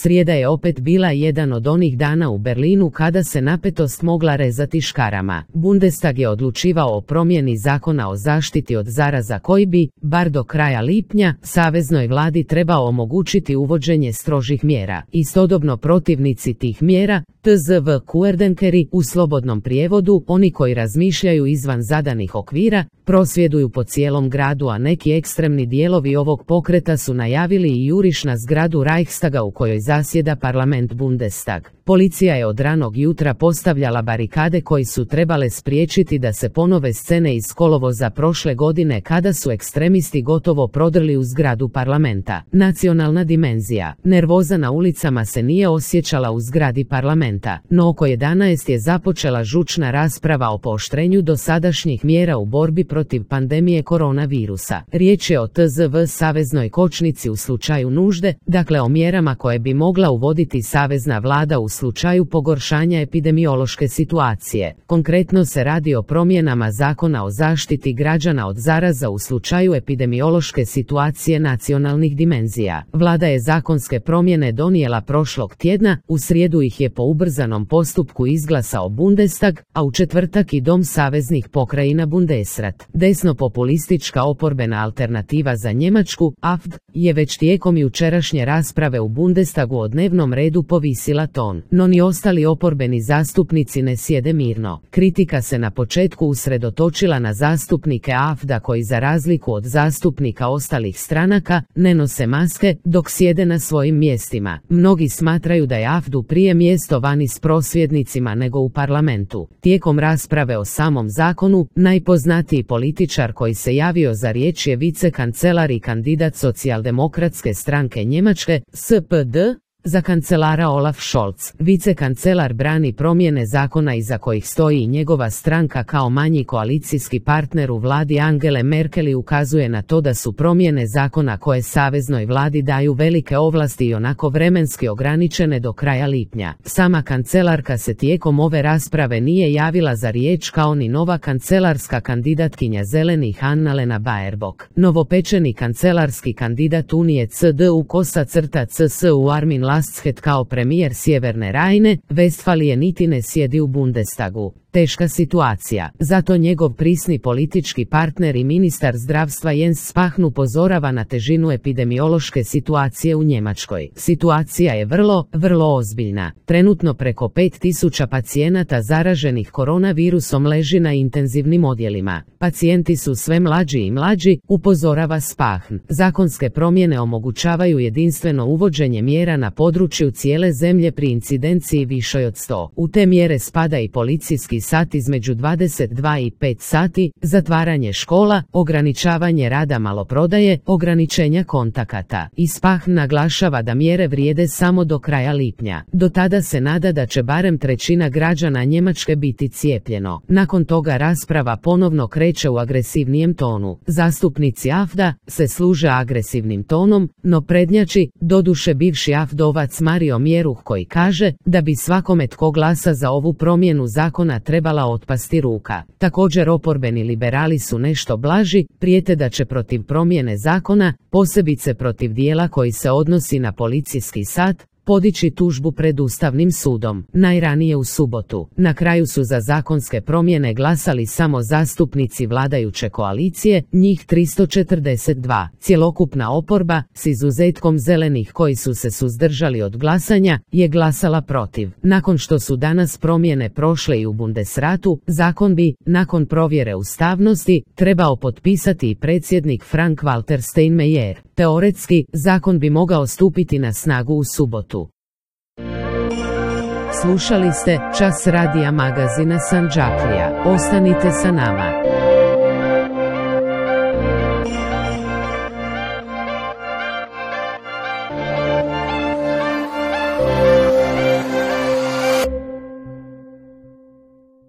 Srijeda je opet bila jedan od onih dana u Berlinu kada se napetost mogla rezati škarama. Bundestag je odlučivao o promjeni zakona o zaštiti od zaraza koji bi, bar do kraja lipnja, saveznoj vladi trebao omogućiti uvođenje strožih mjera. Istodobno protivnici tih mjera, TZV-Kuerdenkeri, u slobodnom prijevodu, oni koji razmišljaju izvan zadanih okvira, prosvjeduju po cijelom gradu, a neki ekstremni dijelovi ovog pokreta su najavili i juriš na zgradu Reichstaga u kojoj zasjeda parlament Bundestag. Policija je od ranog jutra postavljala barikade koji su trebale spriječiti da se ponove scene iz kolovoza prošle godine kada su ekstremisti gotovo prodrli u zgradu parlamenta. Nacionalna dimenzija. Nervoza na ulicama se nije osjećala u zgradi parlamenta, no oko 11 je započela žučna rasprava o pooštrenju dosadašnjih mjera u borbi protiv pandemije koronavirusa. Riječ je o TZV saveznoj kočnici u slučaju nužde, dakle o mjerama koje bi mogla uvoditi savezna vlada u slučaju pogoršanja epidemiološke situacije. Konkretno se radi o promjenama zakona o zaštiti građana od zaraza u slučaju epidemiološke situacije nacionalnih dimenzija. Vlada je zakonske promjene donijela prošlog tjedna, u srijedu ih je po ubrzanom postupku izglasao Bundestag, a u četvrtak i Dom saveznih pokrajina Bundesrat. Desno-populistička oporbena alternativa za Njemačku, AfD, je već tijekom jučerašnje rasprave u Bundestagu o dnevnom redu povisila ton. No ni ostali oporbeni zastupnici ne sjede mirno. Kritika se na početku usredotočila na zastupnike AfD-a koji za razliku od zastupnika ostalih stranaka ne nose maske dok sjede na svojim mjestima. Mnogi smatraju da je AfD-u prije mjesto vani s prosvjednicima nego u parlamentu. Tijekom rasprave o samom zakonu, najpoznatiji političar koji se javio za riječ je vicekancelar i kandidat socijaldemokratske stranke Njemačke, SPD, za kancelara Olaf Scholz. Vicekancelar brani promjene zakona iza kojih stoji i njegova stranka kao manji koalicijski partner u vladi Angele Merkel i ukazuje na to da su promjene zakona koje saveznoj vladi daju velike ovlasti i onako vremenski ograničene do kraja lipnja. Sama kancelarka se tijekom ove rasprave nije javila za riječ kao ni nova kancelarska kandidatkinja zelenih Annalena Baerbock. Novopečeni kancelarski kandidat Unije CDU-CSU Armin Laschet kao premijer Sjeverne Rajne, Vestfalije niti ne sjedi u Bundestagu. Teška situacija. Zato njegov prisni politički partner i ministar zdravstva Jens Spahn upozorava na težinu epidemiološke situacije u Njemačkoj. Situacija je vrlo ozbiljna. Trenutno preko 5000 pacijenata zaraženih koronavirusom leži na intenzivnim odjelima. Pacijenti su sve mlađi i mlađi, upozorava Spahn. Zakonske promjene omogućavaju jedinstveno uvođenje mjera na području cijele zemlje pri incidenciji višoj od 100. U te mjere spada i policijski sat između 22 i 5 sati, zatvaranje škola, ograničavanje rada maloprodaje, ograničenja kontakata. I Spahn naglašava da mjere vrijede samo do kraja lipnja. Do tada se nada da će barem trećina građana Njemačke biti cijepljeno. Nakon toga rasprava ponovno kreće u agresivnijem tonu. Zastupnici AfD-a se služe agresivnim tonom, no prednjači, doduše bivši AfD-ovac Mario Mjeruh koji kaže da bi svakome tko glasa za ovu promjenu zakona trebala otpasti ruka. Također oporbeni liberali su nešto blaži, prijete da će protiv promjene zakona, posebice protiv dijela koji se odnosi na policijski sat, podići tužbu pred Ustavnim sudom, najranije u subotu. Na kraju su za zakonske promjene glasali samo zastupnici vladajuće koalicije, njih 342. Cjelokupna oporba, s izuzetkom zelenih koji su se suzdržali od glasanja, je glasala protiv. Nakon što su danas promjene prošle i u Bundesratu, zakon bi, nakon provjere ustavnosti, trebao potpisati i predsjednik Frank-Walter Steinmeier. Teoretski, zakon bi mogao stupiti na snagu u subotu. Slušali ste Čas radija magazina Sandžaklija. Ostanite sa nama.